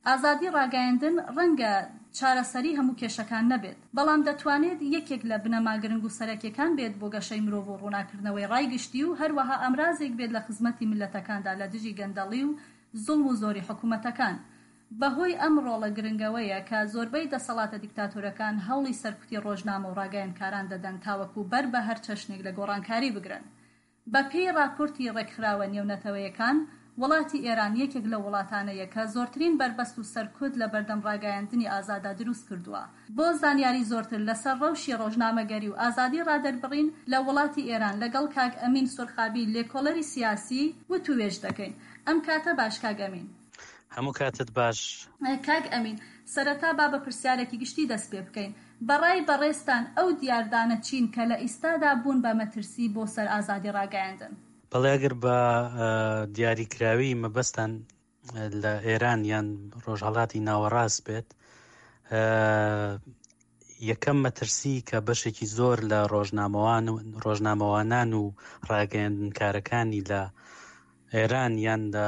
ئازادی ڕاگەیاندن ڕەنگە چارەسەری هەموو کێشەکان نەبێت، بەڵام دەتوانێت یەکێک لە بنەما گرنگ و سەرەکیەکان بێت بۆ گەشەی مرۆڤ و ڕووناکردنەوەی ڕای گشتی و هەروەها ئامرازێک بێت لە خزمەتی میللەتەکاندا لە دژی گەندەڵی و زوڵم و زۆری حکومەتەکان. بەهۆی ئەم ڕۆڵە گرنگەوەیە کە زۆربەی دەسەڵاتە دیکتاتۆرەکان هەوڵی سەرکوتی ڕۆژنامە و ڕاگەیەندکاران دەدەن تاوەکو بەر بە هەر چەشنێک لە گۆڕانکاری بگرن. بە پێی ڕاپۆرتی ڕێکخراوە نێونەتەوەیەکان، وڵاتی ئێران یەکێک لەو وڵاتانەیە کە زۆرترین بەربەست و سەرکوت لە بەردەم ڕاگەیاندنی ئازادا دروست کردووە. بۆ زانیاری زۆرتر لە سەر ڕەوشی ڕۆژنامەگەری و ئازادی ڕادەربڕین لە وڵاتی ئێران لەگەڵ کاک ئەمین سورخابی لێکۆڵەری سیاسی وتووێژ دەکەین. ئەم کاتە باش کاک ئەمین. هەموو کاتت باش. کاک ئەمین، سەرەتا با بە پرسیارێکی گشتی دەست پێ بکەین. بە ڕای بەڕێزتان ئەو دیاردانە چین کە لە ئیستادا بوون بە مەترسی بۆ سەر ئازادی ڕاگەیاندن؟ بەڵێ ئەگەر بە دیاریکراوی مەبەستان لە ئێران یان ڕۆژهەڵاتی ناوەڕاست بێت، یەکەم مەترسی کە بەشێکی زۆر لە ڕۆژنامەوان و ڕۆژنامەوانان و ڕاگەیاندنکارەکانی لە ئێران یان لە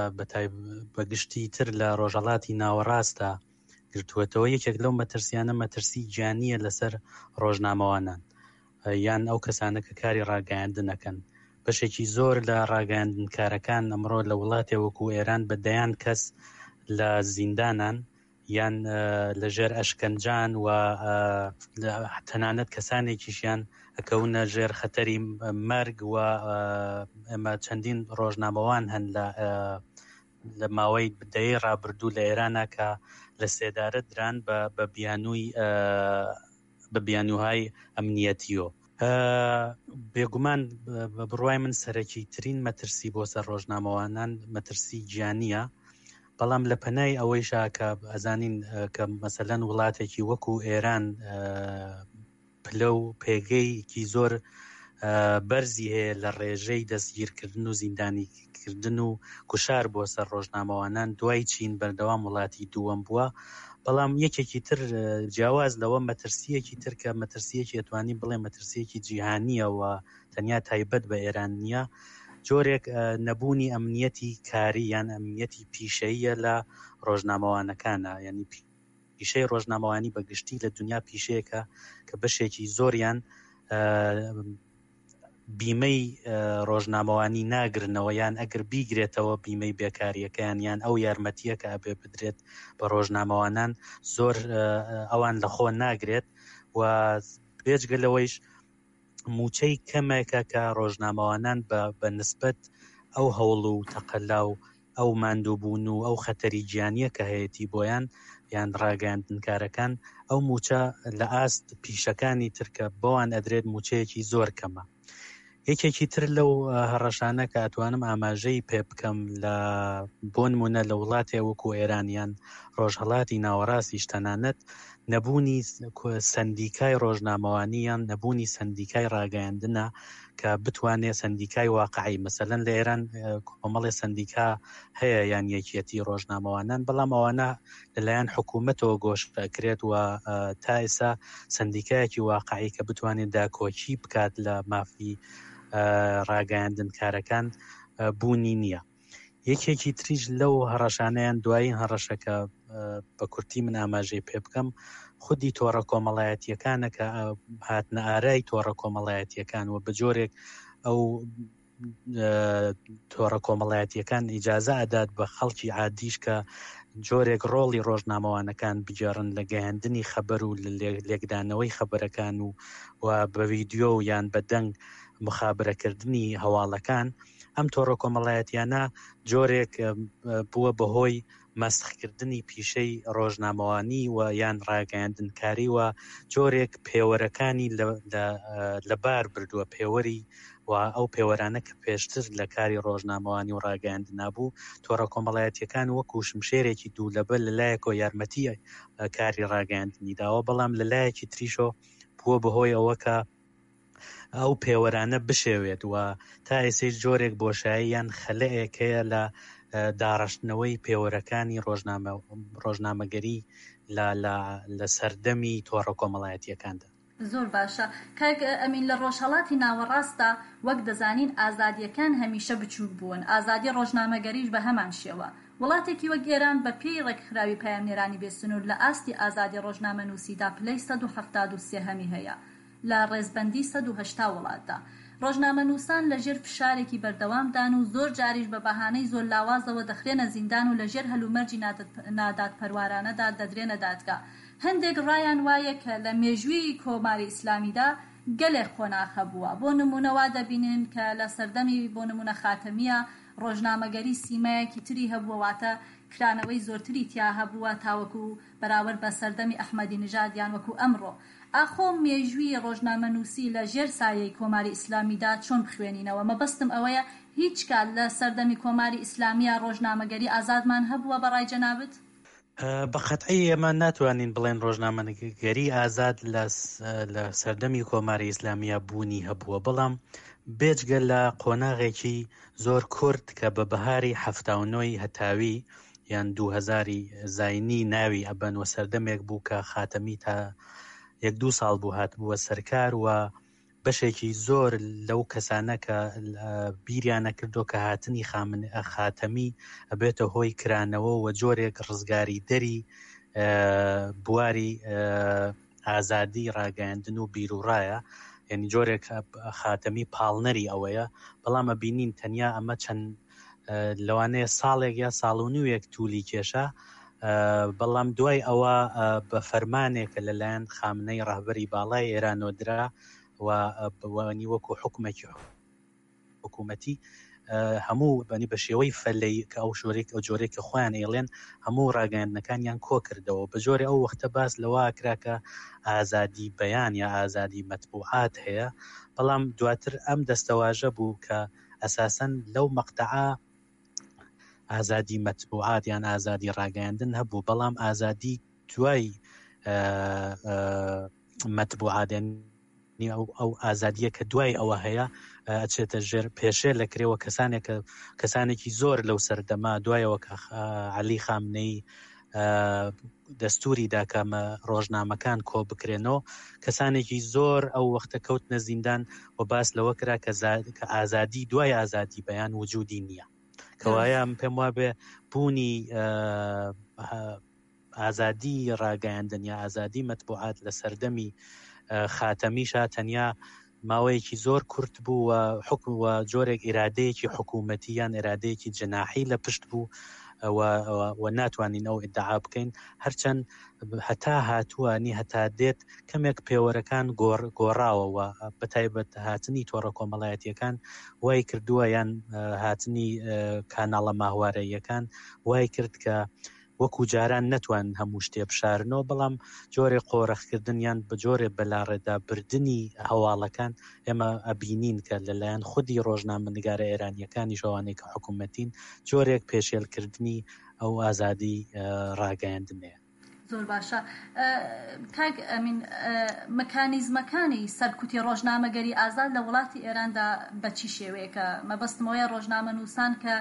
بە گشتی تر لە ڕۆژهەڵاتی ناوەڕاستدا گرتووەتەوە، یەکێک لەو مەترسیانە مەترسی گیانییە لەسەر ڕۆژنامەوانان یان ئەو کەسانە کە کاری ڕاگەیاندن ئەکەن. بەشێکی زۆر لە ڕاگەیاندنکارەکان ئەمڕۆ لە وڵاتێ وەکو ئێران بە دەیان کەس لە زیندانان یان لە ژێر ئەشکەنجان و تەنانەت کەسانێکیشیان ئەکەونە ژێر خەتەری مەرگ و ئێمە چەندین ڕۆژنامەوان هەن لە لە ماوەی دەیەی ڕابردوو لە ئێرانە کە لە سێدارە دران بە بیانووی بە بیانووهای ئەمنیەتیۆ. بێگومان بە بڕوای من سەرەکی ترین مەترسی بۆ سەر ڕۆژنامەوانان مەترسی گیانیە، بەڵام لە پەنای ئەوەیشا کە ئەزانین کە مەسەلەن وڵاتێکی وەکو ئێران پلە و پێگەیەکی زۆر بەرزی هەیە لە ڕێژەی دەستگیرکردن و زیندانیکردن و گوشار بۆ سەر ڕۆژنامەوانان دوای چین بەردەوام وڵاتی دووەم بووە بەڵام یەکێکی تر جیاواز لەوە مەترسیەکی تر کە مەترسیەکی ئەتوانین بڵێ مەترسیەکی جیهانیەوە تەنیا تایبەت بە ئێران نییە جۆرێک نەبوونی ئەمنیەتی کاری یان ئەمنیەتی پیشەیە لە ڕۆژنامەوانەکانە یعنی پیشەی ڕۆژنامەوانی بە گشتی لە دنیا پیشەیەکە کە بەشێکی زۆریان بیمەی ڕۆژنامەوانی ناگرنەوە یان ئەگەر بیگرێتەوە بیمەی بێکاریەکەیان یان ئەو یارمەتیە کە ئەبێ بدرێت بە ڕۆژنامەوانان زۆر ئەوان لەخۆ ناگرێت و بێجگە لەوەیش مووچەی کەمێکە کە ڕۆژنامەوانان بە بە نسبەت ئەو هەوڵ و تەقەلا و ئەو ماندووبوون و ئەو خەتەری گیانیە کە هەیەتی بۆیان یان ڕاگەیاندنکارەکان ئەو مووچە لە ئاست پیشەکانی تر کە بەوان ئەدرێت مووچەیەکی زۆر کەمە. یەکێکی تر لەو هەڕەشانە کە ئەتوانم ئاماژەی پێ بکەم لە بۆ نمونە لە وڵاتێ وەکو ئێران یان ڕۆژهەڵاتی ناوەڕاستیش تەنانەت نەبوونی سەندیکای ڕۆژنامەوانی یان نەبوونی سەندیکای ڕاگەیاندنە کە بتوانێت سەندیکای واقعی مەسەلەن لە ئێران کۆمەڵی سەندیکا هەیە یان یەکیەتی ڕۆژنامەوانان بەڵام ئەوانە لەلایەن حکوومەتەوە گۆشەکرێت و تا ئێستا سەندیکایەکی واقعی کە بتوانێت داکۆکی بکات لە مافی ڕاگەیاندنکارەکان بوونی نییە. یەکێکی تریش لەو هەڕەشانەیان دوایین هەڕەشە کە بە کورتی من ئاماژەی پێ بکەم خودی تۆڕە کۆمەڵایەتیەکانە کە هاتنە ئارای تۆڕە کۆمەڵایەتیەکان و بە جۆرێک ئەو تۆڕە کۆمەڵایەتیەکان ئیجازە ئەدات بە خەڵکی عادیش کە جۆرێک ڕۆڵی ڕۆژنامەوانەکان بگێڕن لە گەیاندنی خەبەر و لێکدانەوەی خەبەرەکان و و بە ویددیو یان بە دەنگ مخابرەکردنی هەواڵەکان ئەم تۆڕە کۆمەڵایەتیانە جۆرێک بووە بەهۆی مەسخکردنی پیشەی ڕۆژنامەوانی و یان ڕاگەیاندنکاری و جۆرێک پێوەرەکانی لەبار بردووە پێوەری و ئەو پێوەرانە کە پێشتر لە کاری ڕۆژنامەوانی و ڕاگەیاندنا بوو تۆڕە کۆمەڵایەتیەکان وەکو شمشێرێکی دوو لەبەر لەلایەکەوە یارمەتی کاری ڕاگەیاندنی داوە بەڵام لەلایەکی تریشۆ بووە بەهۆی ئەوە کە ئەو پێوەرانە بشێوێت و تا ئێسەیش جۆرێک بۆشایی یان خەلەئێک هەیە لە داڕشتنەوەی پێوەرەکانی ڕۆژنامە ڕۆژنامەگەری لە لە لە سەردەمی تۆڕە کۆمەڵایەتییەکاندا. زۆر باشە کاک ئەمین لە ڕۆژهەڵاتی ناوەڕاستدا وەک دەزانین ئازادییەکان هەمیشە بچووک بوون ئازادی ڕۆژنامەگەریش بە هەمان شێوە. وڵاتێکی وەک ئێران بە پێی ڕێکخراوی پەیامنێرانی بێ سنوور لە ئاستی ئازادی ڕۆژنامەنووسیدا پلەی 173 هەمی هەیە لە ڕێزبەندی 180 وڵاتدا. ڕۆژنامەنووسان لە ژێر فشارێکی بەردەوامدان و زۆر جاریش بە بەهانەی زۆر لاوازەوە دەخرێنە زیندان و لە ژێر هەلومەرجی نادادپەروارانەدا دەدرێنە دادگا. هەندێک ڕایان وایە کە لە مێژووی کۆماری ئیسلامیدا گەلێک قۆناغ هەبووە. بۆ نموونە وا دەبینین کە لە سەردەمی بۆ نموونە خاتەمییە ڕۆژنامەگەری سیمایەکی تری هەبووە واتە کرانەوەی زۆرتری تیا هەبووە تاوەکو بەراورد بە سەردەمی ئەحمەدی نژاد یان وەکو ئەمڕۆ. ئاخۆ مێژووی ڕۆژنامەنووسی لە ژێر سایەی کۆماری ئیسلامیدا چۆن بخوێنینەوە؟ مەبەستم ئەوەیە هیچ کات لە سەردەمی کۆماری ئیسلامییا ڕۆژنامەگەری ئازادمان هەبووە بە ڕای جەنابت؟ بە قەتعی ئێمە ناتوانین بڵێن ڕۆژنامەگەری ئازاد لە لە سەردەمی کۆماری ئیسلامییا بوونی هەبووە، بەڵام بێجگە لە قۆناغێکی زۆر کورت کە بە بەهاری 79 ی هەتاوی یان 2000 زاینی ناوی ئەبەن و سەردەمێک بوو کە خاتەمی تا یەک دوو ساڵ بوو هاتبووە سەرکار و بەشێکی زۆر لەو کەسانە کە بیریان نەکردۆ کە هاتنی خاتەمی ئەبێتە هۆی کرانەوە و جۆرێک ڕزگاری دەری بواری ئازادی ڕاگەیاندن و بیروڕایە یعنی جۆرێک خاتەمی پاڵنەری ئەوەیە بەڵام ئەبینین تەنیا ئەمە چەند لەوانەیە ساڵێک یا ساڵ و نوێک تولی کێشا بەڵام دوای ئەوە بە فەرمانێکە لەلایەن خامنەی ڕەهبەری باڵای ئێرانەوە درا و وانی وەکو حکومێکی حکوومەتی هەموو بەنی بە شێوەی فەلەی کە ئەو شۆرێک ئەو جۆرێک کە خۆیان ئێڵێن هەموو ڕاگەیاندنەکانیان کۆ کردەوە بە جۆرێ ئەو وەختە باس لەوە کرا کە ئازادی بەیان یا ئازادی مەتبوعات هەیە بەڵام دواتر ئەم دەستەواژە بوو کە ئەساسەن لەو مەقتەعە ئازادی مەتبوعات یان ئازادی ڕاگەیاندن هەبوو بەڵام ئازادی دوای مەتبوعات ئەو ئەو ئازادیە کە دوای ئەوە هەیە ئەچێتە ژێر پێشێ لە کرێەوە کەسانێک کەسانێکی زۆر لەو سەردەما دوایەوە کە علی خامنەی دەستوری دا کە ڕۆژنامەکان کۆ بکرێنەوە کەسانێکی زۆر ئەو وەختە کەوتنە زیندان و باس لەوە کرا کە کە ئازادی دوای ئازادی بەیان وجودی نییە کەوایە من پێم وابێ بوونی ئازادی ڕاگەیاندن یا ئازادی مەتبوعات لە سەردەمی خاتەمیشا تەنیا ماوەیەکی زۆر کورت بوو و حکم و جۆرێک ئیرادەیەکی حکوومەتی یان ئیرادەیەکی جەناحی لە پشت بوو و ناتوانین ئەو ئیدعا بکەین هەرچەند هەتا هاتووە نی هەتا دێت کەمێک پێوەرەکان گۆڕ گۆڕاوە و بەتایبەت هاتنی تۆڕە کۆمەڵایەتیەکان وای کردووە یان هاتنی کاناڵە ماهوارەیەکان وای کرد کە وەکو جاران نەتوانن هەموو شتێ بشارنەوە، بەڵام جۆرێ قۆرخکردن یان بە جۆرێ بەلاڕێدا بردنی هەواڵەکان ئێمە ئەبینین کە لەلایەن خودی ڕۆژنامەنگارە ئێرانییەکانیش ئەوانەی کە حکوومەتین جۆرێک پێشێلکردنی ئەو ئازادی ڕاگەیاندنەیە. زۆر باشە کاک ئەمین مکانیزمەکانی سەرکوتی ڕۆژنامەگەری ئازاد لە وڵاتی ئێراندا بە چی شێوەیەکە؟ مەبەستم ئەوەیە ڕۆژنامەنووسان کە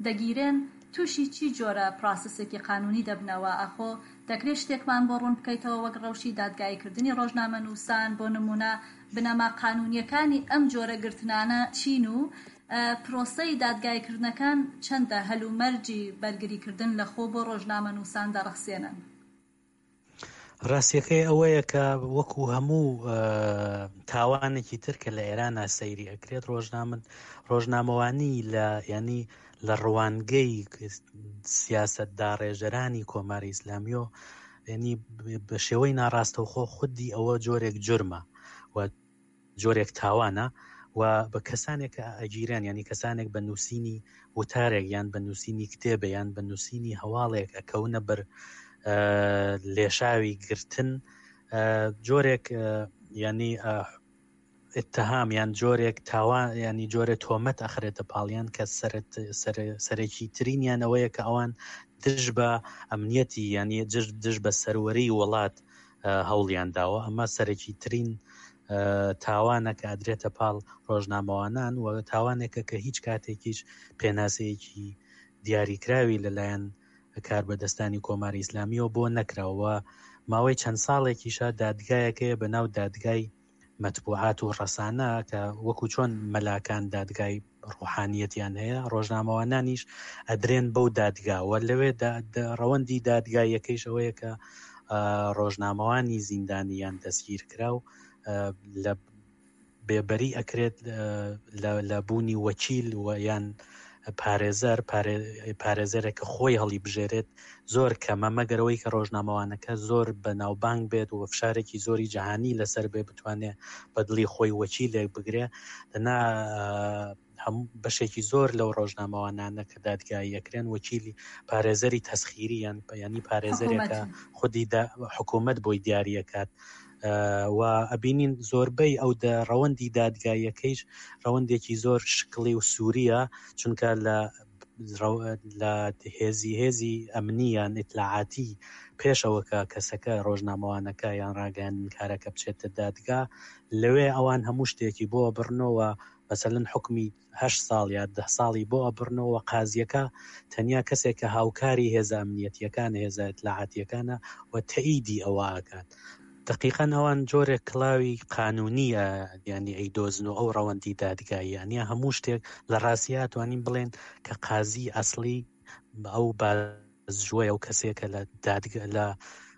دەگیرێن تووشی چی جۆرە پراسسێکی قانوونی دەبنەوە؟ ئاخۆ دەکرێ شتێکمان بۆ ڕوون بکەیتەوە وەک ڕەوشی دادگاییکردنی ڕۆژنامەنووسان، بۆ نموونە بنەما قانوونییەکانی ئەم جۆرە گرتنانە چین و پرۆسەی دادگاییکردنەکان چەندە هەلومەرجی بەرگریکردن لە خۆ بۆ ڕۆژنامەنووسان دەڕەخسێنن؟ ڕاستیەکەی ئەوەیە کە وەکو هەموو تاوانێکی تر کە لە ئێرانە سەیری ئەکرێت ڕۆژنامە ڕۆژنامەوانی لە ینی لە ڕوانگەی سیاست داڕێژەرانی کۆماری ئیسلامیۆ ینی بە شێوەی ناڕاستەوخۆ خودی ئەوە جۆرێک جرمە و جۆرێک تاوانە و بە کەسانێک کە ئەگیرێن یانی کەسانێک بە نووسینی وتارێک یان بە نووسینی کتێبە یان بە نووسینی هەواڵێک ئەکەونە بەر لێشاوی گرتن جۆرێک ینی اتهام یان جۆرێک تاوان ینی جۆرە تۆمەت ئەخرێتە پاڵیان کە سەرەکی ترینیان ئەوەیە کە ئەوان دژ بە ئەمنیەتی ینی دژ بە سەروەری وڵات هەوڵیان داوە ئەمە سەرەکی ترین تاوانە کە ئەدرێتە پاڵ ڕۆژنامەوانان و تاوانێکە کە هیچ کاتێکیش پێناسەیەکی دیاریکراوی لەلایەن کاربەدەستانی کۆماری ئیسلامیەوە بۆ نەکراوە ماوەی چەند ساڵێکیشە دادگایەکەیە بە ناو دادگای مەتبوعات و ڕەسانە کە وەکو چۆن مەلاکان دادگای ڕوحانیەتیان هەیە ڕۆژنامەوانانیش ئەدرێن بەو دادگا و لەوێ ڕەوەندی دادگاییەکەیش ئەوەیە کە ڕۆژنامەوانی زیندانی یان دەستگیر کراو لە بێبەری ئەکرێت لە بوونی وەکیل و یان پارێزەر پارێزەرێک کە خۆی هەڵی بژێرێت زۆر کەمە مەگەرەوەی کە ڕۆژنامەوانەکە زۆر بە ناوبانگ بێت و فشارێکی زۆری جەهانی لەسەر بێ بتوانێت بە دڵی خۆی وەکیلێک بگرێ دەنا هەموو بەشێکی زۆر لەو ڕۆژنامەوانانە کە دادگایی ئەکرێن وەکیلی پارێزەری تەسخیری یان ینی پارێزەرێکە خودی حکوومەت بۆی دیاریەکات و ئەبینین زۆربەی ئەو دە ڕەوەندی دادگاییەکەیش ڕەوەندێکی زۆر شکڵی و سووریە چونکە لە لە هێزی هێزی ئەمنیان ئیتلاعاتی پێشەوە کە کەسەکە ڕۆژنامەوانەکە یان ڕاگەیاندنکارەکە بچێتە دادگا لەوێ ئەوان هەموو شتێکی بۆ بڕنەوە مەسەلەن حوکمی هەشت ساڵ یا دە ساڵی بۆ ئەبڕنەوە قازیەکە تەنیا کەسێک کە هاوکاری هێزە ئەمنیەتیەکانە هێزە ئیتلاعاتیەکانە و تەئیدی ئەوە ئەکات دەقیقەن ئەوان جۆرێک کڵاوی قانونیە یانی ئەیدۆزن و ئەو ڕەوەندی دادگاییە نیە هەموو شتێک لە ڕاستیا توانین بڵێن کە قازی ئەسڵی ئەو بازجوەیە و کەسێکە لە دادگە لە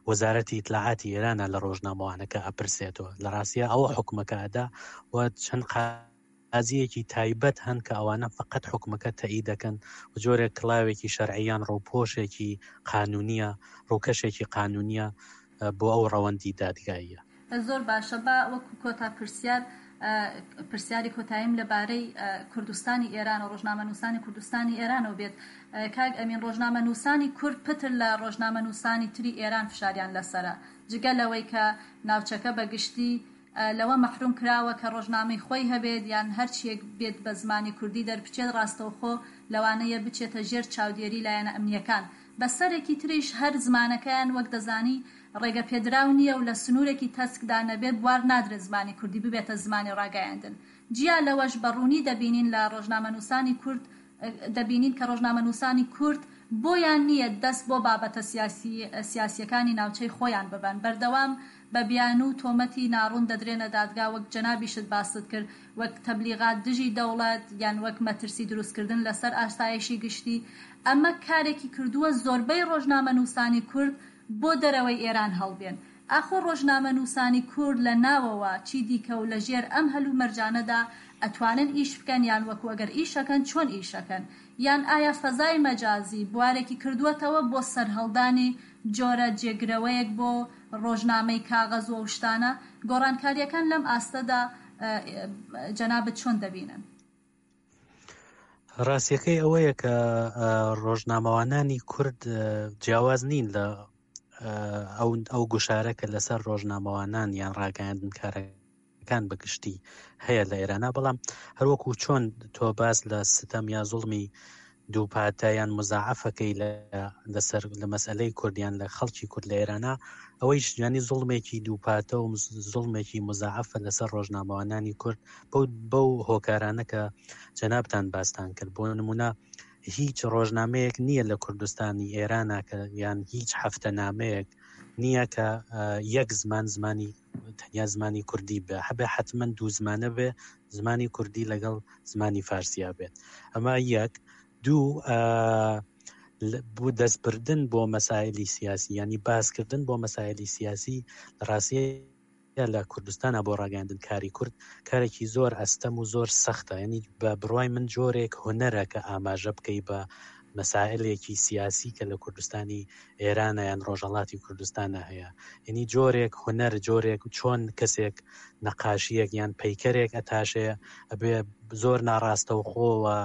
وەزارەتی ئیتلاعاتی ئێرانە لە ڕۆژنامەوانەکە ئەپرسێتەوە لە ڕاستیا ئەوە حکومەکە ئەدا و چەند قازیەکی تایبەت هەن کە ئەوانە فقط حکومەکە تەئی دەکەن و جۆرێک کڵاوێکی شەرعیان ڕووپۆشێکی قانونیە ڕووکەشێکی قانونیە بۆ ئەو ڕەوەندی دادگاییە. زۆر باشە با وەکو کۆتا پرسیار پرسیاری کۆتاییم لە بارەی کوردستانی ئێران و ڕۆژنامەنووسانی کوردستانی ئێرانەوە بێت کاک ئەمین ڕۆژنامەنووسانی کورد پتر لە ڕۆژنامەنووسانی تری ئێران فشاریان لەسەرە جگە لەوەی کە ناوچەکە بە گشتی لەوە مەحروم کراوە کە ڕۆژنامەی خۆی هەبێت یان هەرچیەک بێت بە زمانی کوردی دەربچێت ڕاستەوخۆ لەوانەیە بچێتە ژێر چاودێری لایەنە ئەمنیەکان بە سەرێکی تریش هەر زمانەکەیان وەک دەزانی ڕێگە پێدراو نییە و لە سنوورێکی تەسکدا نەبێت بوار نادرێت زمانی کوردی ببێتە زمانی ڕاگەیاندن. جیا لەوەش بە ڕوونی دەبینین لە ڕۆژنامەنووسانی کورد دەبینین کە ڕۆژنامەنووسانی کورد بۆیان نییە دەست بۆ بابەتە سیاسییەکانی ناوچەی خۆیان ببەن بەردەوام بە بیانوو و تۆمەتی ناڕوون دەدرێنە دادگا وەک جەنابیشت باست کرد وەک تەبلیغات دژی دەوڵەت یان وەک مەترسی دروستکردن لەسەر ئاسایشی گشتی ئەمە کارێکی کردووە زۆربەی ڕۆژنامەنووسانی کورد بۆ دەرەوەی ئێران هەڵبێن. ئاخۆ ڕۆژنامەنووسانی کورد لە ناوەوە چی دیکە و لە ژێر ئەم هەلومەرجانەدا ئەتوانن ئیش بکەن یان وەکو ئەگەر ئیش ئەکەن چۆن ئیش ئەکەن؟ یان ئایا فەزای مەجازی بوارێکی کردووەتەوە بۆ سەرهەڵدانی جۆرە جێگرەوەیەک بۆ ڕۆژنامەی کاغەز و ئەو شتانە؟ گۆڕانکارییەکان لەم ئاستەدا جەنابت چۆن دەبینن؟ ڕاستیەکەی ئەوەیە کە ڕۆژنامەوانانی کورد جیاواز نین لە ئەو ئەو گوشارە کە لەسەر ڕۆژنامەوانان یان ڕاگەیاندنکارەکان بەگشتی هەیە لە ئێرانە بەڵام هەروەکو چۆن تۆ باس لە ستەم یا زوڵمی دووپاتە یان مزاعەفەکەی لە لەسەر لە مەسئلەی کوردیان لە خەڵکی کورد لە ئێرانە ئەوەیش ینی زوڵمێکی دووپاتە و زوڵمێکی مزاعەفە لەسەر ڕۆژنامەوانانی کورد بەو بەو هۆکارانە کە جەنابتان باستان کرد بۆ نمونە هیچ ڕۆژنامەیەک نییە لە کوردستانی ئێرانە کە یان هیچ هەفتە نامەیەک نییە کە یەک زمان زمانی تەنیا زمانی کوردی بێ هەبێ حتمما دوو زمانە بێ زمانی کوردی لەگەڵ زمانی فارسیا بێت ئەمە یەک دوو بۆ دەستبردن بۆ مەسایلی سیاسی ینی باسکردن بۆ مەسایلی سیاسی لە ڕاستیە لە کوردستانە بۆ ڕاگەاندن کاری کورد کارێکی زۆر ئەستەم و زۆر سەختە ینی بە بڕای من جۆرێک هونەرە کە ئاماژە بکەی بە مەسائلێکی سیاسی کە لە کوردستانی ئێرانە یان ڕۆژهەڵاتی کوردستانە هەیە یعنی جۆرێک هونەر جۆرێک چۆن کەسێک نەقاشیەک یان پەیکەرێک ئەتاشێ ئەبێ زۆر ناڕاستەوخۆوە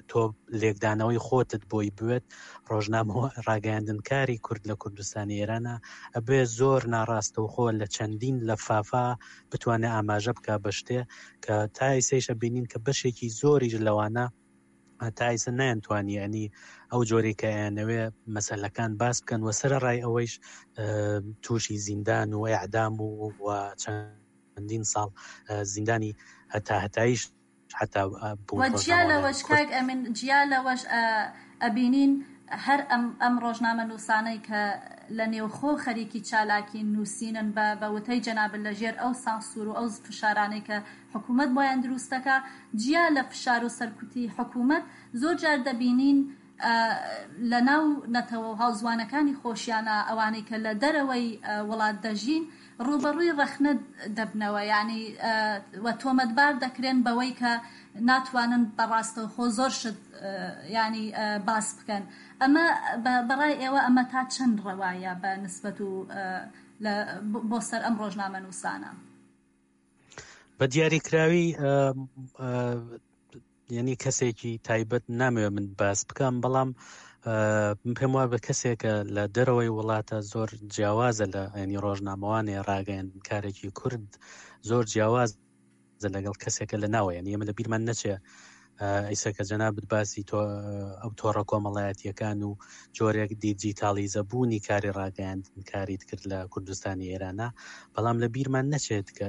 تۆ لێکدانەوەی خۆتت بۆی بوێت ڕۆژنامەوە ڕاگەیاندنکاری کورد لە کوردستانی ئێرانە ئەبێ زۆر ناڕاستەوخۆ لە چەندین لەفافا بتوانێت ئاماژە بک بە شتێ کە تا ئیسەیشە بینین کە بەشێکی زۆریش لەوانە تا ئیسە نەیانتوانی ینی ئەو جۆرەی کە ئەیانەوێ مەسەلەکان باس بکەن و سەرەڕای ئەوەیش تووشی زیندان و ئەعدام و و چەندین ساڵ زیندانی هەتا هەتاییش حتا بوون و جیا لەوەش کاک ئەمین جیا لەوەش ئەبینین. هەر ئەم ئەم ڕۆژنامەنووسانەی کە لە نێوخۆ خەریکی چالاکین نووسینن بە بە وتەی جەنابت لە ژێر ئەو سانسوور و ئەو فشارانەی کە حکوومەت بۆیان دروست دەکا جیا لە فشار و سەرکوتی حکوومەت زۆر جار دەبینین لە ناو نەتەوە و هاوزوانەکانی خۆشیانا ئەوانەی کە لە دەرەوەی وڵات دەژین ڕووبەڕووی ڕەخنە دەبنەوە یانی و تۆمەتبار دەکرێن بەوەی کە ناتوانن بە ڕاستەوخۆ زۆر شت یانی باس بکەن ئەمە بەڕای ئێوە ئەمە تا چەند ڕەوایە بە نسبەت و لە بۆ سەر ئەم ڕۆژنامەنووسانە؟ بە دیاریکراوی یعنی کەسێکی تایبەت نامەوێ من باس بکەم بەڵام من پێم وایە بە کەسێکە لە دەرەوەی وڵاتە زۆر جیاوازە لە ینی ڕۆژنامەوانێ ڕاگەیان کارێکی کورد زۆر جیاواز لەگەڵ کەسێکە لە ناوە یعنی ئێمە لە بیرمان نەچێ ئیسە کە جەنابت باسی تۆ ئەو تۆڕە کۆمەڵایەتیەکان و جۆرێک دیجیتاڵیزە بوونی کاری ڕاگەیاندن کاریت کرد لە کوردستانی ئێرانە بەڵام لە بیرمان نەچێت کە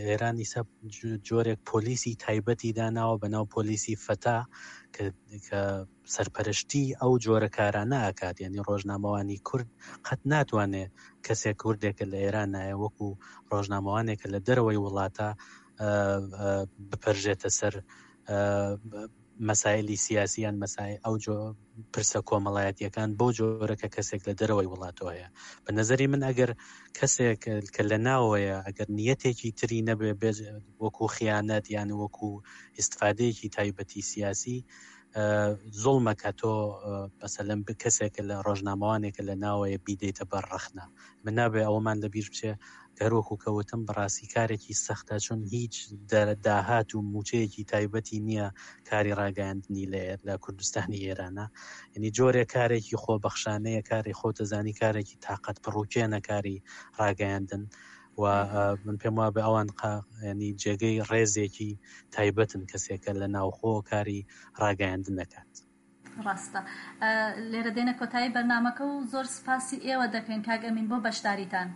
ئێران ئیسە جۆرێک پۆلیسی تایبەتی داناوە بە ناو پۆلیسی فەتا کە سەرپەرشتی ئەو جۆرە کارانە ئەکات یعنی ڕۆژنامەوانی کورد قەت ناتوانێت کەسێک کوردێکە لە ئێران نایە وەکو ڕۆژنامەوانێکە لە دەرەوەی وڵاتە بپەرژێتە سەر مەسایلی سیاسی یان مەسای ئەو جۆ پرسە کۆمەڵایەتیەکان بەو جۆرە کە کەسێک لە دەرەوەی وڵاتەوە هەیە بە نظری من ئەگەر کەسێک کە لە ناوەیە ئەگەر نیەتێکی تری نەبێ بێ وەکو خیانەت یان وەکو ئیسفادەیەکی تایبەتی سیاسی زوڵمە کە تۆ بەسەلەن کەسێکە لە ڕۆژنامەوانێکە لە ناوەیە بیدەیتە بەر ڕەخنە من نابێ ئەوەمان لە بیر بچێ هەروەکو کە وتم بەڕاستی کارێکی سەختە چون هیچ داهات و موچەیەکی تایبەتی نییە کاری ڕاگەیاندنی لە لە کوردستانی ئێرانە یعنی جۆرێک کارێکی خۆبەخشانەیە کاری خۆتەزانی کارێکی تاقەت پڕوکێنە کاری ڕاگەیاندن و من پێم وابێ ئەوان ینی جێگەی ڕێزێکی تایبەتن کەسێکە لە ناوخۆ کاری ڕاگەیاندن دەکات. ڕاستە. لێرە دێنە کۆتایی بەرنامەکە و زۆر سپاسی ئێوە دەکەین کاک ئەمین بۆ بەشداریتان.